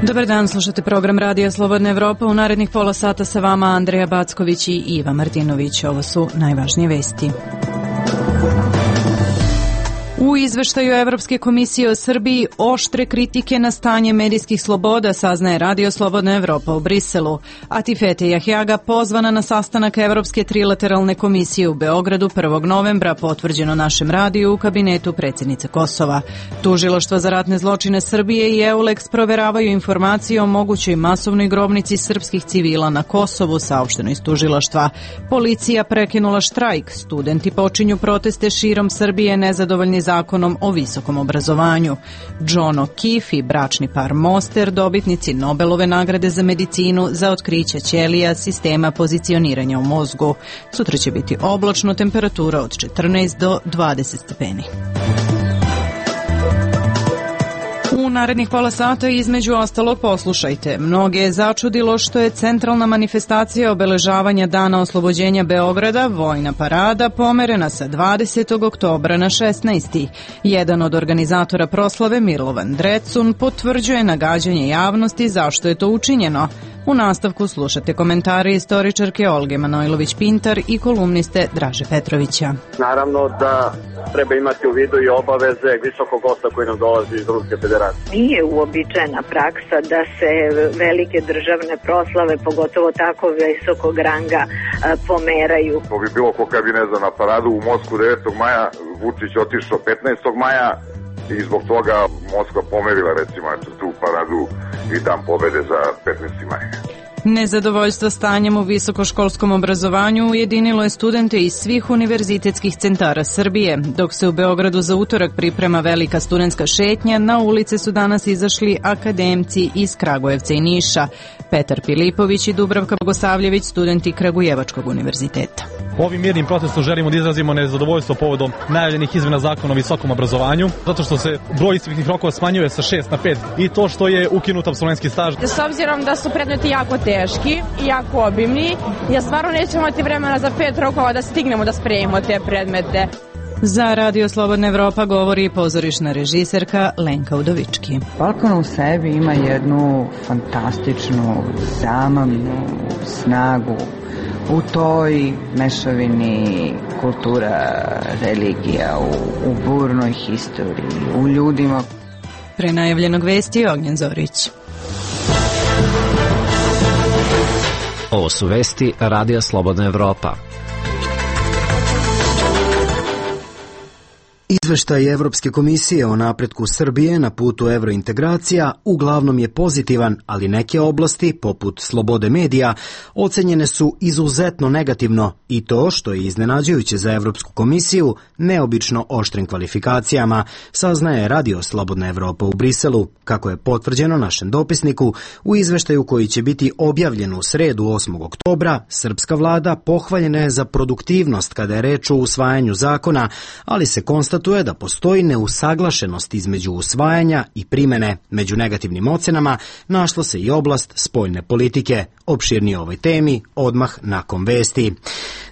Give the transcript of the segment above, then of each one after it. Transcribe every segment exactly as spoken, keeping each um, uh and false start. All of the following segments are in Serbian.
Dobar dan, slušate program Radija Slobodna Evropa. U narednih pola sata sa vama Andreja Backović i Iva Martinović. Ovo su najvažnije vesti. U izveštaju Evropske komisije o Srbiji oštre kritike na stanje medijskih sloboda saznaje Radio Slobodna Evropa u Briselu. Atifete Jahjaga pozvana na sastanak Evropske trilateralne komisije u Beogradu prvog novembra, potvrđeno našem radiju u kabinetu predsjednice Kosova. Tužilaštva za ratne zločine Srbije i EULEX proveravaju informacije o mogućoj masovnoj grobnici srpskih civila na Kosovu, saopšteno iz tužilaštva. Policija prekinula štrajk, studenti počinju proteste širom Srbije nezadovoljni zakonom o visokom obrazovanju. John O'Keefe i bračni par Moster, dobitnici Nobelove nagrade za medicinu za otkriće ćelija sistema pozicioniranja u mozgu. Sutra će biti oblačno, temperatura od četrnaest do dvadeset stepeni. U narednih pola sata između ostalog poslušajte. Mnoge je začudilo što je centralna manifestacija obeležavanja Dana oslobođenja Beograda, vojna parada, pomerena sa dvadesetog oktobra na šesnaesti Jedan od organizatora proslave, Milovan Drecun, potvrđuje nagađanje javnosti zašto je to učinjeno. U nastavku slušate komentare istoričarke Olge Manojlović-Pintar i kolumniste Draže Petrovića. Naravno da treba imati u vidu i obaveze visokog gosta koji nam dolazi iz Ruske federacije. Nije uobičajena praksa da se velike državne proslave, pogotovo tako visokog ranga, pomeraju. To bi bilo ko kad bi, ne znam, na paradu u Moskvu devetog maja, Vučić otišao petnaestog maja i zbog toga Moskva pomerila, recimo, tu paradu i dan pobede za petnaesti maj. Nezadovoljstvo stanjem u visokoškolskom obrazovanju ujedinilo je studente iz svih univerzitetskih centara Srbije. Dok se u Beogradu za utorak priprema velika studentska šetnja, na ulice su danas izašli akademci iz Kragujevca i Niša. Petar Pilipović i Dubravka Bogosavljević, studenti Kragujevačkog univerziteta. Ovim mirnim protestom želimo da izrazimo nezadovoljstvo povodom najavljenih izmena zakona o visokom obrazovanju, zato što se broj ispitnih rokova smanjuje sa šest na pet i to što je ukinut apsolventski staž. S obzirom da su predmeti jako teški i jako obimni, ja stvarno nećemo imati vremena za pet rokova da stignemo da spremimo te predmete. Za Radio Slobodna Evropa govori pozorišna režiserka Lenka Udovički. Balkan u sebi ima jednu fantastičnu, zamamnu snagu u toj mešavini kultura, religija, u, u burnoj historiji, u ljudima. Pre najavljenog vesti Ognjen Zorić. Ovo su vesti Radija Slobodna Evropa. Izveštaj Evropske komisije o napretku Srbije na putu evrointegracija uglavnom je pozitivan, ali neke oblasti, poput slobode medija, ocenjene su izuzetno negativno i to, što je iznenađujuće za Evropsku komisiju, neobično oštrim kvalifikacijama, saznaje Radio Slobodna Evropa u Briselu, kako je potvrđeno našem dopisniku u izveštaju koji će biti objavljen u sredu osmog oktobra. Srpska vlada pohvaljena je za produktivnost kada je reč o usvajanju zakona, ali se konstatuje je da postoji neusaglašenost između usvajanja i primene. Među negativnim ocenama našla se i oblast spoljne politike. Opširnije o ovoj temi odmah nakon vesti.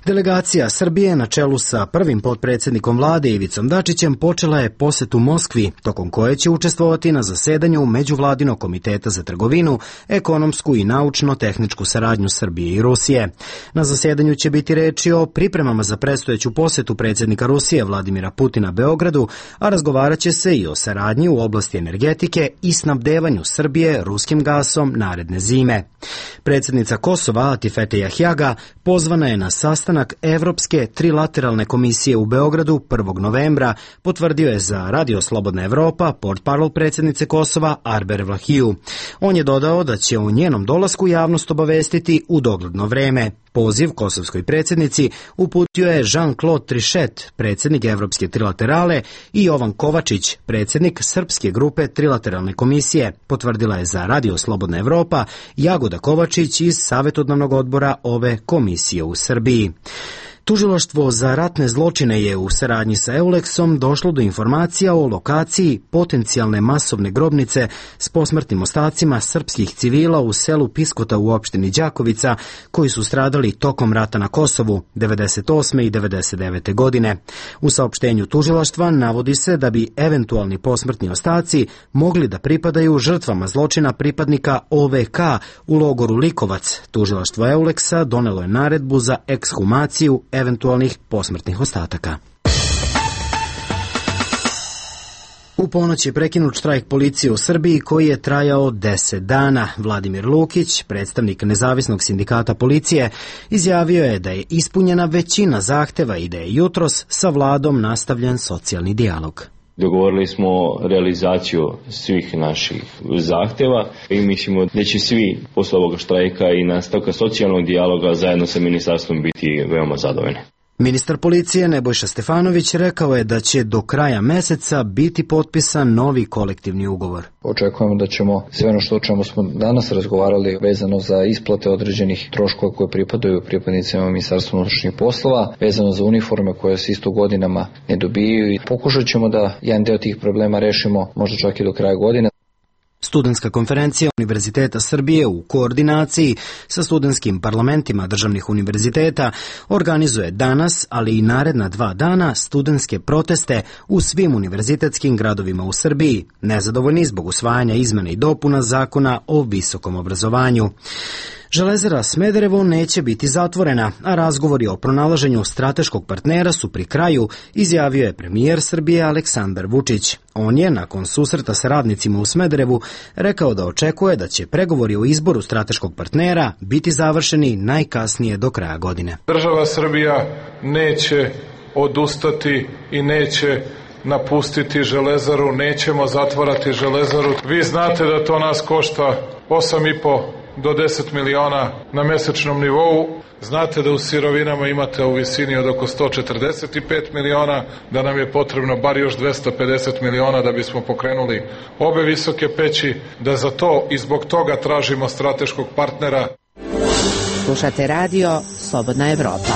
Delegacija Srbije na čelu sa prvim potpredsjednikom vlade Ivicom Dačićem počela je posetu Moskvi, tokom koje će učestvovati na zasedanju Međuvladinog komiteta za trgovinu, ekonomsku i naučno-tehničku saradnju Srbije i Rusije. Na zasedanju će biti reči o pripremama za predstojeću posetu predsjednika Rusije Vladimira Putina Beogradu, a razgovarat će se i o saradnji u oblasti energetike i snabdevanju Srbije ruskim gasom naredne zime. Predsjednica Kosova Atifete Jahjaga pozvana je na sastanak Evropske trilateralne komisije u Beogradu prvog novembra, potvrdio je za Radio Slobodna Evropa portparol predsjednice Kosova Arber Vlahiju. On je dodao da će o njenom dolasku javnost obavestiti u dogledno vreme. Poziv kosovskoj predsjednici uputio je Jean-Claude Trichet, predsjednik Evropske trilaterale, i Jovan Kovačić, predsjednik Srpske grupe trilateralne komisije, potvrdila je za Radio Slobodna Evropa Jagoda Kovačić iz savjetodavnog odbora ove komisije u Srbiji. Tužilaštvo za ratne zločine je u saradnji sa Euleksom došlo do informacija o lokaciji potencijalne masovne grobnice s posmrtnim ostacima srpskih civila u selu Piskota u opštini Đakovica, koji su stradali tokom rata na Kosovu devedeset osme i devedeset devete godine. U saopštenju tužilaštva navodi se da bi eventualni posmrtni ostaci mogli da pripadaju žrtvama zločina pripadnika O V K u logoru Likovac. Tužilaštvo Euleksa donelo je naredbu za ekshumaciju eventualnih posmrtnih ostataka. U ponoć je prekinut štrajk policije u Srbiji koji je trajao deset dana. Vladimir Lukić, predstavnik Nezavisnog sindikata policije, izjavio je da je ispunjena većina zahteva i da je jutros sa vladom nastavljen socijalni dijalog. Dogovorili smo realizaciju svih naših zahteva i mislimo da će svi posle ovoga štrajka i nastavka socijalnog dijaloga zajedno sa ministarstvom biti veoma zadovoljni. Ministar policije Nebojša Stefanović rekao je da će do kraja meseca biti potpisan novi kolektivni ugovor. Očekujemo da ćemo sve ono što o čemu smo danas razgovarali vezano za isplate određenih troškova koje pripadaju pripadnicima Ministarstva unutrašnjih poslova, vezano za uniforme koje se isto godinama ne dobijaju i pokušat ćemo da jedan deo tih problema rešimo možda čak i do kraja godine. Studentska konferencija Univerziteta Srbije u koordinaciji sa studentskim parlamentima državnih univerziteta organizuje danas, ali i naredna dva dana, studentske proteste u svim univerzitetskim gradovima u Srbiji, nezadovoljni zbog usvajanja izmena i dopuna zakona o visokom obrazovanju. Železara Smederevo neće biti zatvorena, a razgovori o pronalaženju strateškog partnera su pri kraju, izjavio je premijer Srbije Aleksandar Vučić. On je, nakon susreta sa radnicima u Smederevu, rekao da očekuje da će pregovori o izboru strateškog partnera biti završeni najkasnije do kraja godine. Država Srbija neće odustati i neće napustiti Železaru, nećemo zatvarati Železaru. Vi znate da to nas košta osam i po do deset miliona na mesečnom nivou. Znate da u sirovinama imate u visini od oko sto četrdeset pet miliona, da nam je potrebno bar još dvesta pedeset miliona da bismo pokrenuli obe visoke peći, da za to i zbog toga tražimo strateškog partnera. Slušate radio Slobodna Evropa.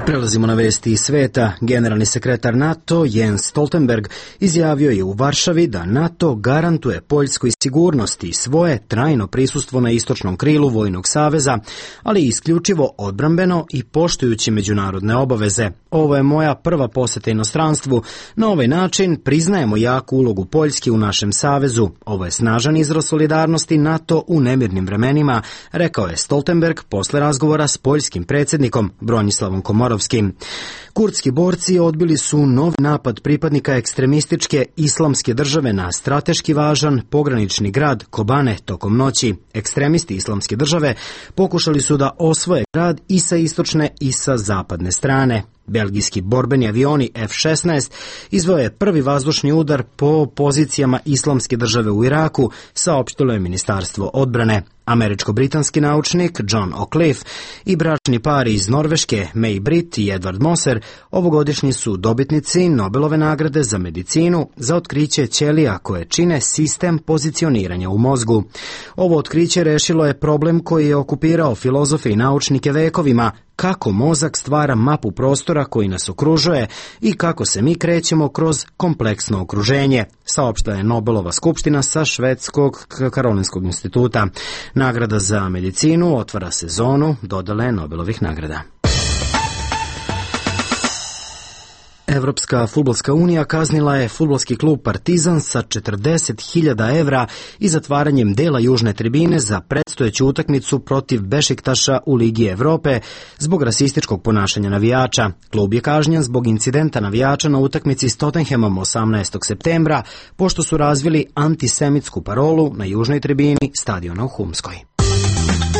Prelazimo na vesti iz sveta. Generalni sekretar NATO Jens Stoltenberg izjavio je u Varšavi da NATO garantuje Poljskoj sigurnost i svoje trajno prisustvo na istočnom krilu Vojnog saveza, ali isključivo odbrambeno i poštujući međunarodne obaveze. Ovo je moja prva poseta inostranstvu. Na ovaj način priznajemo jaku ulogu Poljske u našem savezu. Ovo je snažan izraz solidarnosti NATO u nemirnim vremenima, rekao je Stoltenberg posle razgovora s poljskim predsjednikom Bronislavom Komorovskim. Kurdski borci odbili su novi napad pripadnika ekstremističke islamske države na strateški važan pogranični grad Kobane tokom noći. Ekstremisti islamske države pokušali su da osvoje grad i sa istočne i sa zapadne strane. Belgijski borbeni avioni F šesnaest izveo je prvi vazdušni udar po pozicijama islamske države u Iraku, saopštilo je Ministarstvo odbrane. Američko-britanski naučnik John O'Cliffe i bračni par iz Norveške May Britt i Edward Moser ovogodišnji su dobitnici Nobelove nagrade za medicinu za otkriće ćelija koje čine sistem pozicioniranja u mozgu. Ovo otkriće rešilo je problem koji je okupirao filozofe i naučnike vekovima, kako mozak stvara mapu prostora koji nas okružuje i kako se mi krećemo kroz kompleksno okruženje, saopštila je Nobelova skupština sa Švedskog Karolinskog instituta. Nagrada za medicinu otvara sezonu dodele Nobelovih nagrada. Evropska fudbalska unija kaznila je fudbalski klub Partizan sa četrdeset hiljada evra i zatvaranjem dela južne tribine za predstojeću utakmicu protiv Bešiktaša u Ligi Evrope zbog rasističkog ponašanja navijača. Klub je kažnjen zbog incidenta navijača na utakmici s Tottenhamom osamnaestog septembra, pošto su razvili antisemitsku parolu na južnoj tribini stadiona u Humskoj.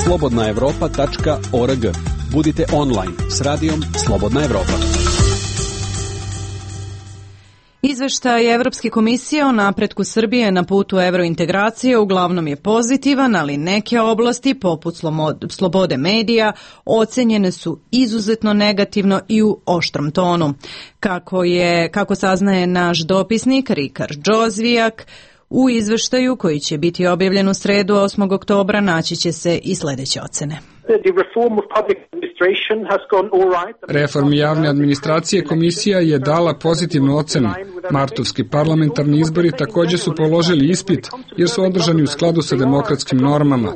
slobodna evropa tačka org. Budite online s radijom Slobodna Evropa. Izveštaj Evropske komisije o napretku Srbije na putu evrointegracije uglavnom je pozitivan, ali neke oblasti, poput slobode medija, ocenjene su izuzetno negativno i u oštrom tonu. Kako je, kako saznaje naš dopisnik Rikard Džozvijak, u izveštaju koji će biti objavljen u sredu osmog oktobra naći će se i sledeće ocene. Reformi javne administracije komisija je dala pozitivnu ocenu. Martovski parlamentarni izbori također su položili ispit jer su održani u skladu sa demokratskim normama.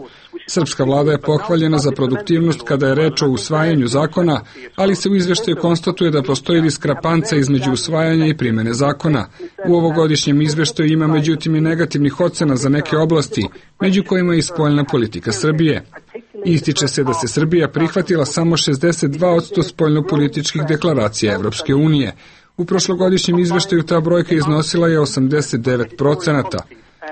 Srpska vlada je pohvaljena za produktivnost kada je reč o usvajanju zakona, ali se u izveštaju konstatuje da postoji diskrepanca između usvajanja i primene zakona. U ovogodišnjem izveštaju ima međutim i negativnih ocena za neke oblasti, među kojima je i spoljna politika Srbije. Ističe se da se Srbija prihvatila samo šezdeset dva posto spoljnopolitičkih deklaracija Evropske unije. U prošlogodišnjem izveštaju ta brojka iznosila je osamdeset devet procenata.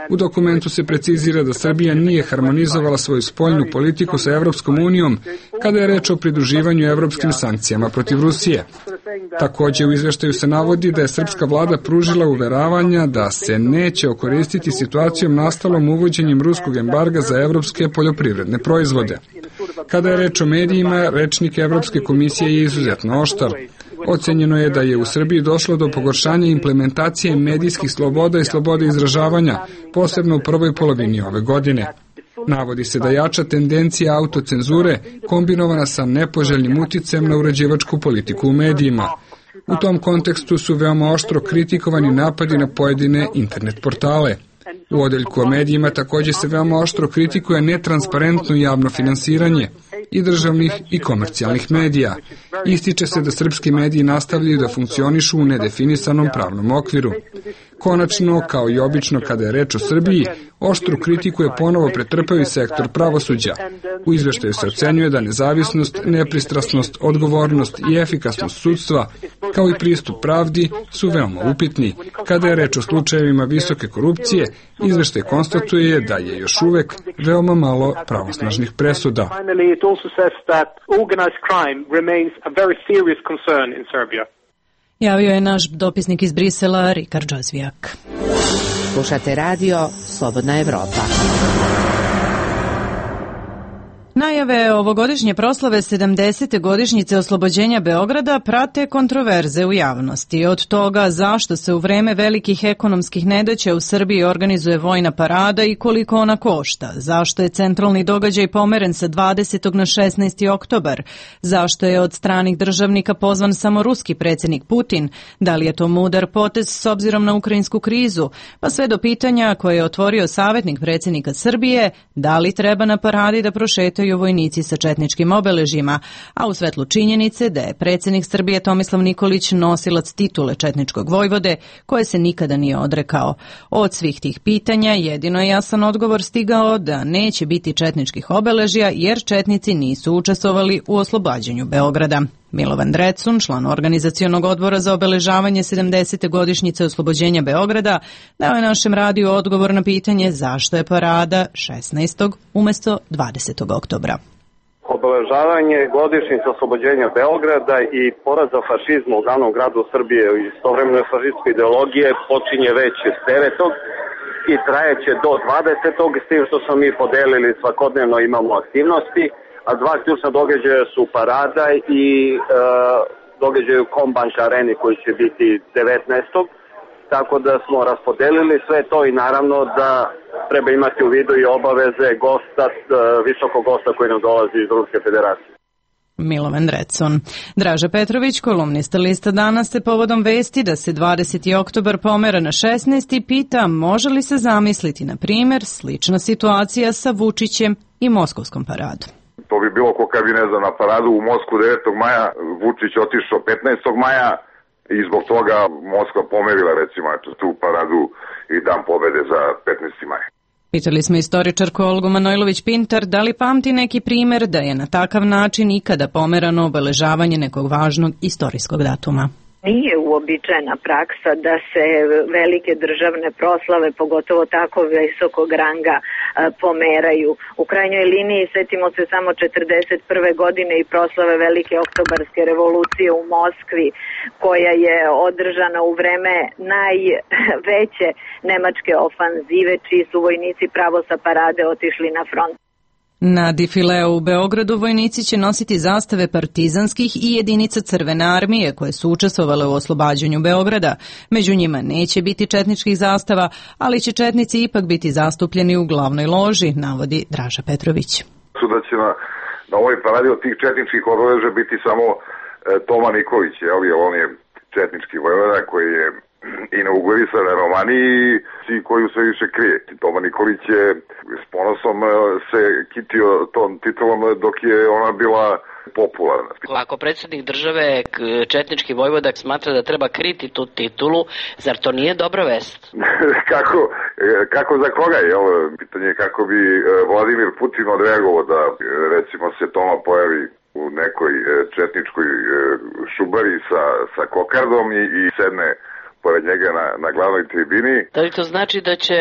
U dokumentu se precizira da Srbija nije harmonizovala svoju spoljnu politiku sa Evropskom unijom kada je reč o pridruživanju evropskim sankcijama protiv Rusije. Također u izveštaju se navodi da je srpska vlada pružila uveravanja da se neće okoristiti situacijom nastalom uvođenjem ruskog embarga za evropske poljoprivredne proizvode. Kada je reč o medijima, rečnik Evropske komisije je izuzetno oštar. Ocenjeno je da je u Srbiji došlo do pogoršanja implementacije medijskih sloboda i slobode izražavanja, posebno u prvoj polovini ove godine. Navodi se da jača tendencija autocenzure kombinovana sa nepoželjnim uticajem na uređivačku politiku u medijima. U tom kontekstu su veoma oštro kritikovani napadi na pojedine internet portale. U odeljku o medijima također se veoma oštro kritikuje netransparentno javno finansiranje i državnih i komercijalnih medija. Ističe se da srpski mediji nastavljaju da funkcionišu u nedefinisanom pravnom okviru. Konačno, kao i obično kada je reč o Srbiji, oštru kritiku je ponovo pretrpao i sektor pravosuđa. U izveštaju se ocenjuje da nezavisnost, nepristrasnost, odgovornost i efikasnost sudstva, kao i pristup pravdi, su veoma upitni. Kada je reč o slučajevima visoke korupcije, izveštaj konstatuje da je još uvek veoma malo pravosnažnih presuda. Javio je naš dopisnik iz Brisela, Rikard Džozvijak. Slušate radio Slobodna Evropa. Najave ovogodišnje proslave sedamdesete godišnjice oslobođenja Beograda prate kontroverze u javnosti. Od toga zašto se u vreme velikih ekonomskih nedaća u Srbiji organizuje vojna parada i koliko ona košta, zašto je centralni događaj pomeren sa dvadesetog na šesnaesti oktobar, zašto je od stranih državnika pozvan samo ruski predsjednik Putin, da li je to mudar potez s obzirom na ukrajinsku krizu, pa sve do pitanja koje je otvorio savjetnik predsjednika Srbije, da li treba na paradi da prošetaju vojnici sa četničkim obeležjima, a u svetlu činjenice da je predsjednik Srbije Tomislav Nikolić nosilac titule četničkog vojvode, koje se nikada nije odrekao. Od svih tih pitanja jedino je jasan odgovor stigao da neće biti četničkih obeležja jer četnici nisu učestvovali u oslobađanju Beograda. Milovan Drecun, član organizacionog odbora za obeležavanje sedamdesete godišnjice oslobođenja Beograda, dao je našem radiju odgovor na pitanje zašto je parada šesnaestog umjesto dvadesetog oktobra. Obeležavanje godišnjice oslobođenja Beograda i poraza fašizma u glavnom gradu Srbije i istovremeno fašističke ideologije počinje već devetog i trajeće do dvadesetog s tim što smo mi podelili svakodnevno imamo aktivnosti. A dva ključna događaja su parada i e, događaj u Kombank areni koji će biti devetnaestog Tako da smo raspodelili sve to i naravno da treba imati u vidu i obaveze gosta, visokog gosta koji nam dolazi iz Ruske federacije. Milovan Drecun. Draža Petrović, kolumnista lista Danas, se povodom vesti da se dvadeseti oktobar pomera na šesnaesti pita može li se zamisliti, na primjer, slična situacija sa Vučićem i Moskovskom paradom. To bi bilo ko kad bi, ne znam, na paradu u Moskvu devetog maja, Vučić otišao petnaestog maja i zbog toga Moskva pomerila, recimo, tu paradu i dan pobede za petnaesti maj. Pitali smo istoričarku Olgu Manojlović-Pintar da li pamti neki primjer da je na takav način ikada pomerano obeležavanje nekog važnog istorijskog datuma. Nije uobičajena praksa da se velike državne proslave, pogotovo tako visokog ranga, pomeraju. U krajnjoj liniji setimo se samo četrdeset prve godine i proslave velike oktobarske revolucije u Moskvi, koja je održana u vreme najveće nemačke ofanzive, čiji su vojnici pravo sa parade otišli na front. Na difileu u Beogradu vojnici će nositi zastave partizanskih i jedinica Crvene armije koje su učestvovale u oslobađanju Beograda. Među njima neće biti četničkih zastava, ali će četnici ipak biti zastupljeni u glavnoj loži, navodi Draža Petrović. Da će na na ovoj paradi od tih četničkih obeleža biti samo e, Toma Nikolić, jel, jer on je četnički vojvoda koji je inaugurisan na Romaniji i koju se više krije. Toma Nikolić je s ponosom se kitio tom titulom dok je ona bila popularna. Ako predsjednik države četnički vojvoda smatra da treba kriti tu titulu, zar to nije dobra vest? kako, kako za koga je? Ovo pitanje je kako bi Vladimir Putin odreagovao da recimo se Toma pojavi u nekoj četničkoj šubari sa, sa kokardom i, i sedne pored njega na, na glavnoj tribini. Da li to znači da će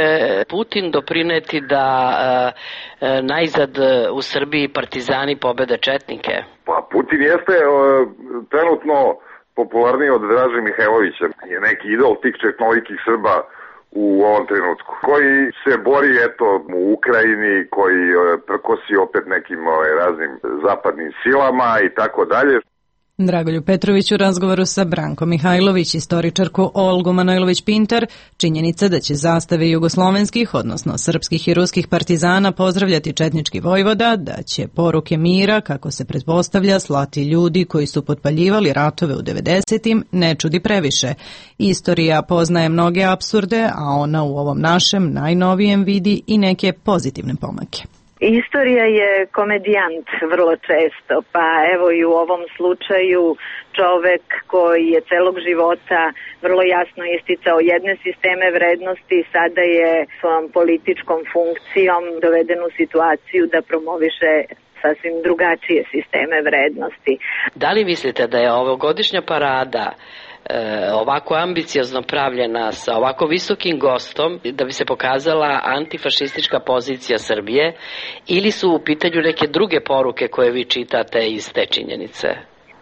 Putin doprineti da e, e, najzad u Srbiji partizani pobede četnike? Pa Putin jeste e, trenutno popularniji od Draže Mihajlovića. Je neki idol tih četnolikih Srba u ovom trenutku, koji se bori eto u Ukrajini, koji e, prkosi opet nekim e, raznim zapadnim silama i tako dalje. Dragolju Petrović u razgovoru sa Brankom Mihajlović, istoričarku Olgu Manojlović-Pintar, činjenica da će zastave jugoslovenskih, odnosno srpskih i ruskih partizana pozdravljati četnički vojvoda, da će poruke mira, kako se pretpostavlja, slati ljudi koji su potpaljivali ratove u devedesetim, ne čudi previše. Istorija poznaje mnoge apsurde, a ona u ovom našem najnovijem vidi i neke pozitivne pomake. Istorija je komedijant vrlo često, pa evo i u ovom slučaju čovek koji je celog života vrlo jasno isticao jedne sisteme vrednosti, sada je svojom političkom funkcijom doveden u situaciju da promoviše sasvim drugačije sisteme vrednosti. Da li mislite da je ovogodišnja parada ovako ambiciozno pravljena sa ovako visokim gostom da bi se pokazala antifašistička pozicija Srbije ili su u pitanju neke druge poruke koje vi čitate iz te činjenice?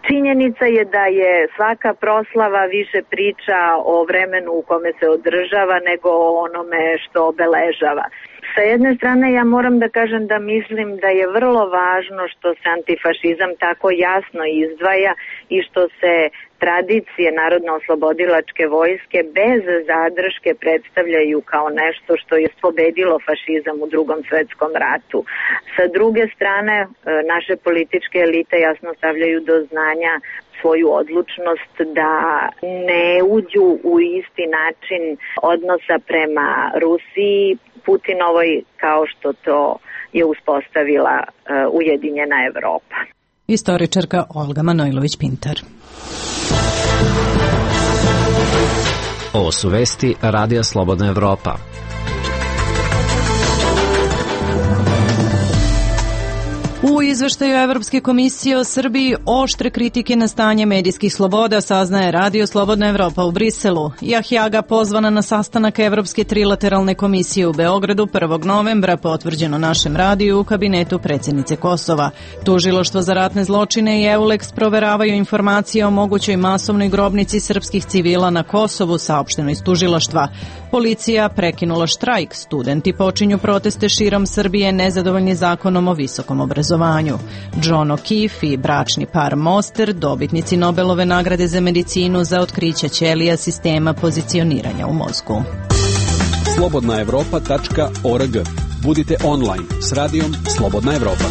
Činjenica je da je svaka proslava više priča o vremenu u kome se održava nego o onome što obeležava. Sa jedne strane ja moram da kažem da mislim da je vrlo važno što se antifašizam tako jasno izdvaja i što se tradicije Narodno-oslobodilačke vojske bez zadrške predstavljaju kao nešto što je pobedilo fašizam u Drugom svetskom ratu. Sa druge strane, naše političke elite jasno stavljaju do znanja svoju odlučnost da ne uđu u isti način odnosa prema Rusiji, Putinovoj, kao što to je uspostavila Ujedinjena Evropa. Istoričarka Olga Manojlović-Pintar. Ovo su vesti Radija Slobodna Evropa. U izveštaju Evropske komisije o Srbiji oštre kritike na stanje medijskih sloboda saznaje Radio Slobodna Evropa u Briselu. Jahjaga pozvana na sastanak Evropske trilateralne komisije u Beogradu prvog novembra, potvrđeno našem radiju u kabinetu predsjednice Kosova. Tužilaštvo za ratne zločine i EULEX proveravaju informacije o mogućoj masovnoj grobnici srpskih civila na Kosovu, saopšteno iz tužilaštva. Policija prekinula štrajk, studenti počinju proteste širom Srbije nezadovoljni zakonom o visokom obrazovanju. John O'Keefe i bračni par Moster, dobitnici Nobelove nagrade za medicinu za otkriće ćelija sistema pozicioniranja u mozgu. slobodna evropa tačka org. Budite online s radijom Slobodna Evropa.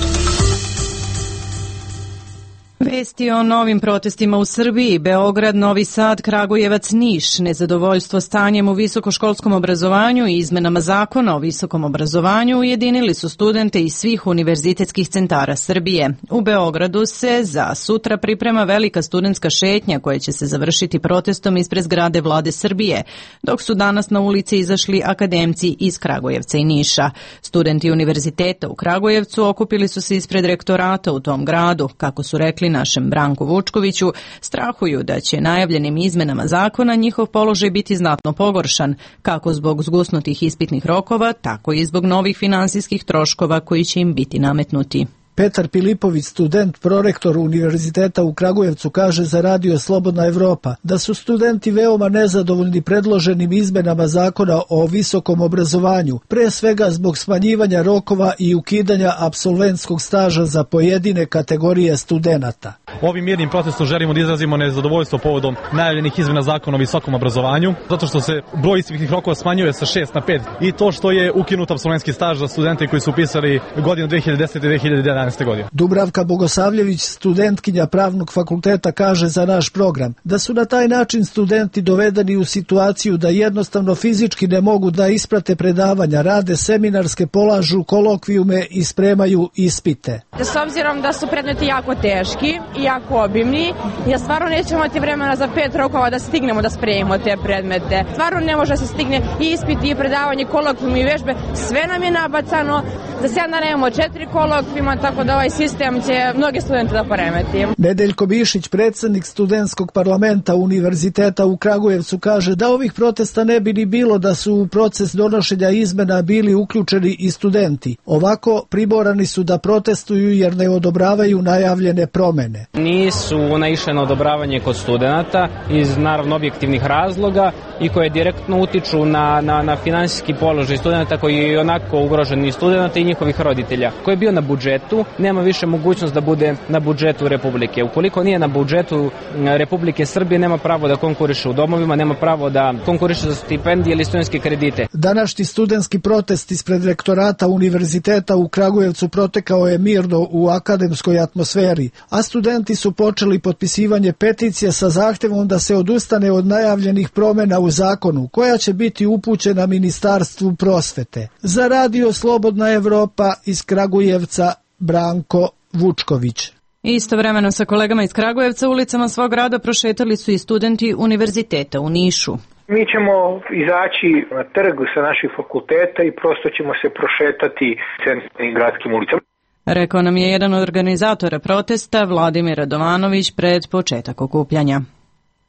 Vesti o novim protestima u Srbiji, Beograd, Novi Sad, Kragujevac, Niš, nezadovoljstvo stanjem u visokoškolskom obrazovanju i izmenama zakona o visokom obrazovanju ujedinili su studente iz svih univerzitetskih centara Srbije. U Beogradu se za sutra priprema velika studentska šetnja koja će se završiti protestom ispred zgrade Vlade Srbije, dok su danas na ulici izašli akademci iz Kragujevca i Niša. Studenti univerziteta u Kragujevcu okupili su se ispred rektorata u tom gradu, kako su rekli našem Branku Vučkoviću, strahuju da će najavljenim izmenama zakona njihov položaj biti znatno pogoršan, kako zbog zgusnutih ispitnih rokova, tako i zbog novih finansijskih troškova koji će im biti nametnuti. Petar Pilipović, student, prorektor Univerziteta u Kragujevcu, kaže za Radio Slobodna Evropa da su studenti veoma nezadovoljni predloženim izmenama zakona o visokom obrazovanju, pre svega zbog smanjivanja rokova i ukidanja apsolventskog staža za pojedine kategorije studenata. Ovim mirnim protestom želimo da izrazimo nezadovoljstvo povodom najavljenih izmena zakona o visokom obrazovanju, zato što se broj ispitnih rokova smanjuje sa šest na pet i to što je ukinut apsolventski staž za studente koji su upisali godinu dve hiljade desete i dve hiljade jedanaeste. godine. Dubravka Bogosavljević, studentkinja Pravnog fakulteta, kaže za naš program da su na taj način studenti dovedeni u situaciju da jednostavno fizički ne mogu da isprate predavanja, rade seminarske, polažu kolokvijume i spremaju ispite. S obzirom da su predmeti jako teški i jako obimni, ja stvarno nećemo imati vremena za pet rokova da stignemo da spremimo te predmete. Stvarno ne može da se stigne i ispiti i predavanje, kolokvijumi i vežbe, sve nam je nabacano. Za sedam dana imamo četiri kolokvijuma, tako da ovaj sistem će mnogi studente da poremeti. Nedeljko Bišić, predsednik studentskog parlamenta Univerziteta u Kragujevcu, kaže da ovih protesta ne bi ni bilo da su u proces donošenja izmena bili uključeni i studenti. Ovako primorani su da protestuju jer ne odobravaju najavljene promene. Nisu naišle na odobravanje kod studenata iz naravno objektivnih razloga i koje direktno utiču na, na, na finansijski položaj studenta koji je onako ugrožen i studenta i njihovih roditelja. Koji je bio na budžetu, nema više mogućnost da bude na budžetu Republike. Ukoliko nije na budžetu Republike Srbije, nema pravo da konkuriše u domovima, nema pravo da konkuriše za stipendije ili studentske kredite. Današnji studentski protest ispred rektorata Univerziteta u Kragujevcu protekao je mirno u akademskoj atmosferi, a studenti su počeli potpisivanje peticije sa zahtevom da se odustane od najavljenih promena u zakonu, koja će biti upućena Ministarstvu prosvete. Za Radio Slobodna Evropa iz Kragujevca, Branko Vučković. Istovremeno sa kolegama iz Kragujevca ulicama svog grada prošetali su i studenti Univerziteta u Nišu. Mi ćemo izaći na trg sa naših fakulteta i prosto ćemo se prošetati centralnim gradskim ulicama. Rekao nam je jedan od organizatora protesta, Vladimir Radovanović, pred početak okupljanja.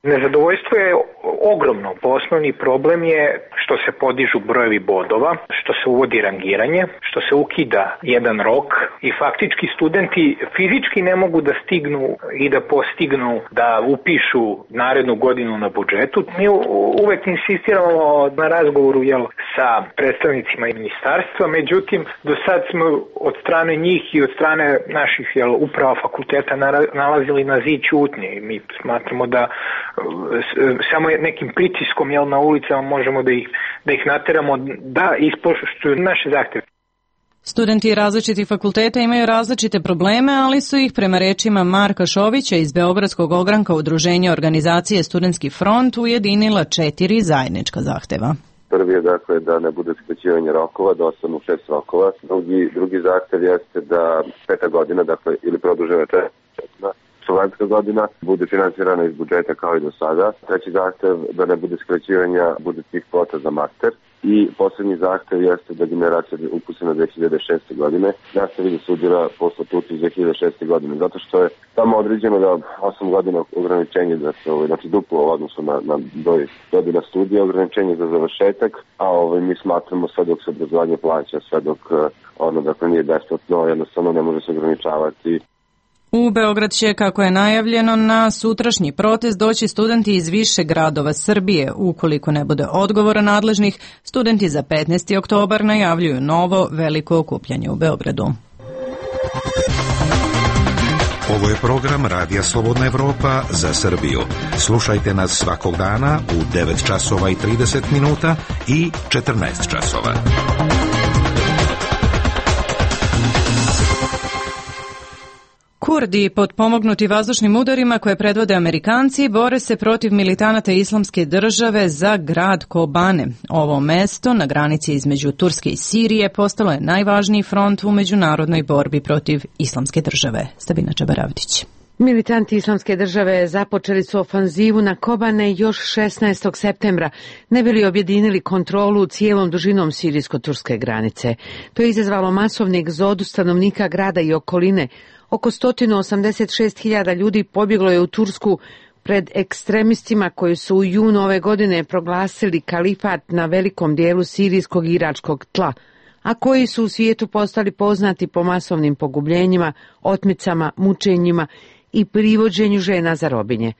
Nezadovoljstvo je ogromno. Osnovni problem je što se podižu brojevi bodova, što se uvodi rangiranje, što se ukida jedan rok i faktički studenti fizički ne mogu da stignu i da postignu da upišu narednu godinu na budžetu. Mi uvek insistiramo na razgovoru jel, sa predstavnicima ministarstva, međutim do sad smo od strane njih i od strane naših jel, uprava fakulteta nalazili na zid ćutnje i mi smatramo da samo nekim pritiskom jel, na ulicama možemo da ih, da ih nateramo da ispoštuju naše zahteve. Studenti različitih fakulteta imaju različite probleme, ali su ih prema rečima Marka Šovića iz Beogradskog ogranka Udruženja organizacije Studentski front ujedinila četiri zajednička zahteva. Prvi je dakle da ne bude skraćivanje rokova, da ostanu šest rokova. Drugi, drugi zahtev jeste da peta godina, dakle ili produžena četvrta studentska godina bude finansirana iz budžeta kao i do sada. Treći zahtev da ne bude skraćivanja budžetskih kvota za master. I posljednji zahtev jeste da generacija upisana dve hiljade šeste. godine nastavi da studira po statutu iz dve hiljade šeste. godine, zato što je tamo određeno da osam godina ograničenje, da se, ovaj, znači duplo u odnosu na, na broj godina studija, ograničenje za završetak, a ovaj, mi smatramo sve dok se obrazovanje plaća, sve dok ono dakle nije besplatno, jednostavno ne može se ograničavati. U Beograd će, kako je najavljeno, na sutrašnji protest doći studenti iz više gradova Srbije. Ukoliko ne bude odgovora nadležnih, studenti za petnaesti oktobar najavljuju novo veliko okupljanje u Beogradu. Ovo je program Radija Slobodna Evropa za Srbiju. Slušajte nas svakog dana u devet časova i trideset minuta i četrnaest časova. Kurdi, potpomognuti vazdušnim udarima koje predvode Amerikanci, bore se protiv militanata Islamske države za grad Kobane. Ovo mesto na granici između Turske i Sirije postalo je najvažniji front u međunarodnoj borbi protiv Islamske države. Sabina Čabaravdić. Militanti Islamske države započeli su ofanzivu na Kobane još šesnaestog septembra, ne bi li objedinili kontrolu cijelom dužinom sirijsko-turske granice. To je izazvalo masovni egzodus stanovnika grada i okoline. Oko sto osamdeset šest hiljada ljudi pobjeglo je u Tursku pred ekstremistima koji su u junu ove godine proglasili kalifat na velikom dijelu sirijskog i iračkog tla, a koji su u svijetu postali poznati po masovnim pogubljenjima, otmicama, mučenjima i privođenju žena za robinje.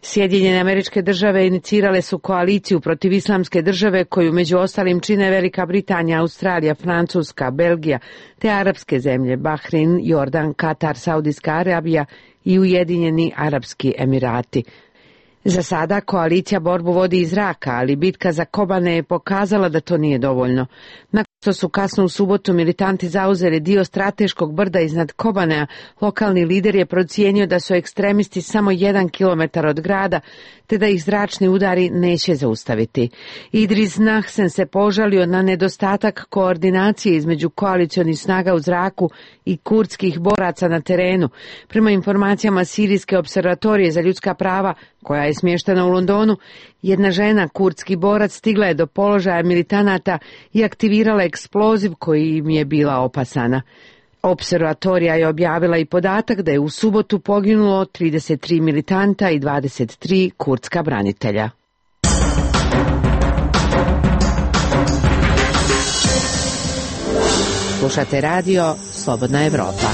Sjedinjene Američke Države inicirale su koaliciju protiv Islamske države koju među ostalim čine Velika Britanija, Australija, Francuska, Belgija te arapske zemlje Bahrein, Jordan, Katar, Saudijska Arabija i Ujedinjeni Arapski Emirati. Za sada koalicija borbu vodi iz zraka, ali bitka za Kobane je pokazala da to nije dovoljno. Nakon što su kasno u subotu militanti zauzeli dio strateškog brda iznad Kobanea, lokalni lider je procijenio da su ekstremisti samo jedan kilometar od grada, te da ih zračni udari neće zaustaviti. Idris Nahsen se požalio na nedostatak koordinacije između koalicionih snaga u zraku i kurdskih boraca na terenu. Prema informacijama Sirijske observatorije za ljudska prava, koja je smještena u Londonu, jedna žena, kurdski borac, stigla je do položaja militanata i aktivirala eksploziv koji im je bila opasana. Observatorija je objavila i podatak da je u subotu poginulo trideset tri militanta i dvadeset tri kurdska branitelja. Slušate radio Slobodna Evropa.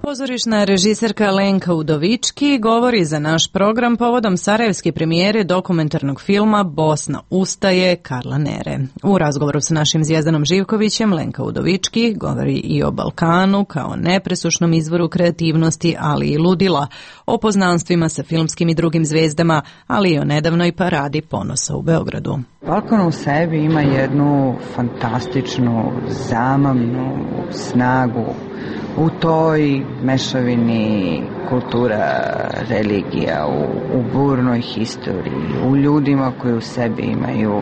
Pozorišna režiserka Lenka Udovički govori za naš program povodom sarajevske premijere dokumentarnog filma Bosna ustaje Karla Nere. U razgovoru sa našim Zvijezdanom Živkovićem Lenka Udovički govori i o Balkanu kao nepresušnom izvoru kreativnosti, ali i ludila, o poznanstvima sa filmskim i drugim zvijezdama, ali i o nedavnoj paradi ponosa u Beogradu. Balkan u sebi ima jednu fantastičnu, zamamnu snagu u toj mešavini kultura, religija, u, u burnoj historiji, u ljudima koji u sebi imaju e,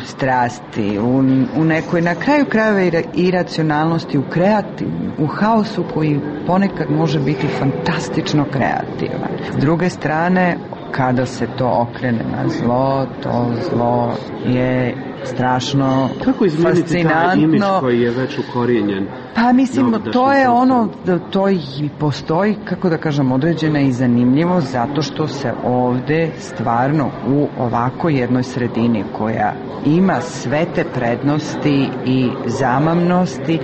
strasti, u, u nekoj na kraju krajeva iracionalnosti, u kreativ, u haosu koji ponekad može biti fantastično kreativan. S druge strane, kada se to okrene na zlo, to zlo je strašno kako izmijeniti fascinantno. Taj imidž koji je već ukorijenjen? Pa mislim, to je ono, to i postoji, kako da kažem, određena i zanimljivo, zato što se ovde stvarno u ovako jednoj sredini koja ima sve te prednosti i zamamnosti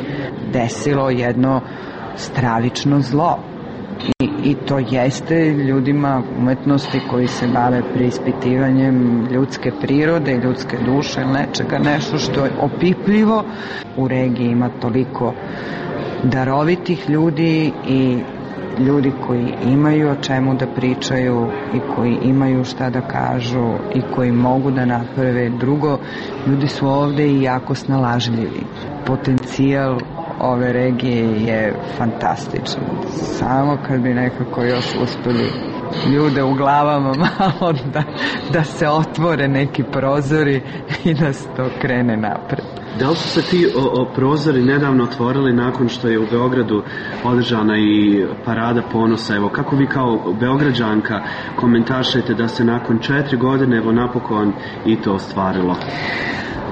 desilo jedno stravično zlo. I, I to jeste ljudima umetnosti koji se bave preispitivanjem ljudske prirode, ljudske duše ili nečega, nešto što je opipljivo. U regiji ima toliko darovitih ljudi i ljudi koji imaju o čemu da pričaju i koji imaju šta da kažu i koji mogu da naprave. Drugo, ljudi su ovde i jako snalažljivi. Potencijal ove regije je fantastičan. Samo kad bi nekako još uspeli ljude u glavama malo da, da se otvore neki prozori i da se to krene napred. Da li su se ti o, o prozori nedavno otvorili nakon što je u Beogradu održana i parada ponosa? Evo, kako vi kao Beograđanka komentaršete da se nakon četiri godine evo napokon i to ostvarilo?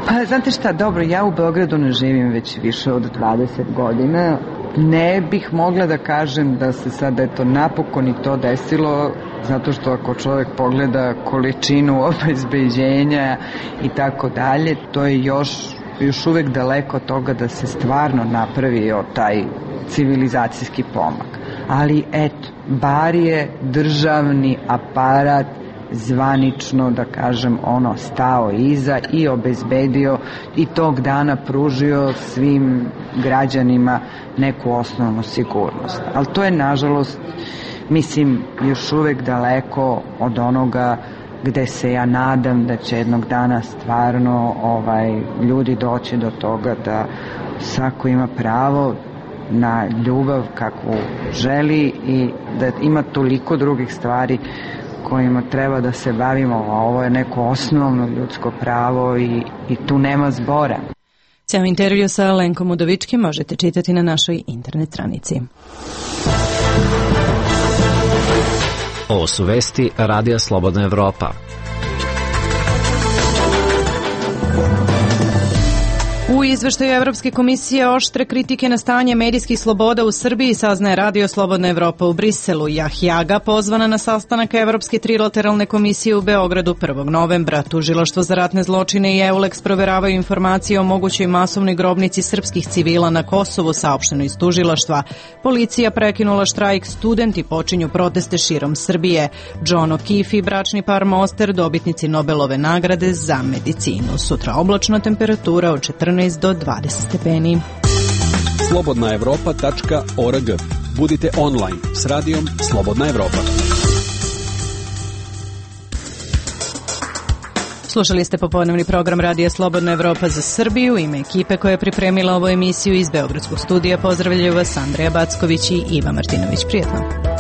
Pa, znate šta, dobro, ja u Beogradu ne živim već više od dvadeset godina. Ne bih mogla da kažem da se sad eto napokon i to desilo, zato što ako čovjek pogleda količinu obezbeđenja i tako dalje, to je još, još uvek daleko od toga da se stvarno napravio taj civilizacijski pomak. Ali eto, bar je državni aparat zvanično, da kažem, ono stao iza i obezbedio i tog dana pružio svim građanima neku osnovnu sigurnost. Ali to je, nažalost, mislim, još uvek daleko od onoga gde se ja nadam da će jednog dana stvarno ovaj, ljudi doći do toga da svako ima pravo na ljubav kakvu želi i da ima toliko drugih stvari kojima treba da se bavimo, a ovo je neko osnovno ljudsko pravo i, i tu nema zbora. Cijel intervju sa Lenkom Udovički možete čitati na našoj internet stranici. Ovo su vesti Radija Slobodna Evropa. U izveštaju Evropske komisije oštre kritike na stanje medijskih sloboda u Srbiji saznaje Radio Slobodna Evropa u Briselu. Jahjaga pozvana na sastanak Evropske trilateralne komisije u Beogradu prvog novembra. Tužilaštvo za ratne zločine i EULEX proveravaju informacije o mogućoj masovnoj grobnici srpskih civila na Kosovu, saopšteno iz tužilaštva. Policija prekinula štrajk, studenti počinju proteste širom Srbije. John O'Keefe i bračni par Moster, dobitnici Nobelove nagrade za medicinu. Sutra oblačna, temperatura od četrnaest do dvadeset stepeni. slobodna evropa tačka org. Budite online s radijom Slobodna Evropa. Slušali ste popodnevni program Radija Slobodna Evropa za Srbiju. Ime ekipe koja je pripremila ovu emisiju iz Beogradskog studija pozdravljaju vas Andreja Backović i Iva Martinović. Prijetno.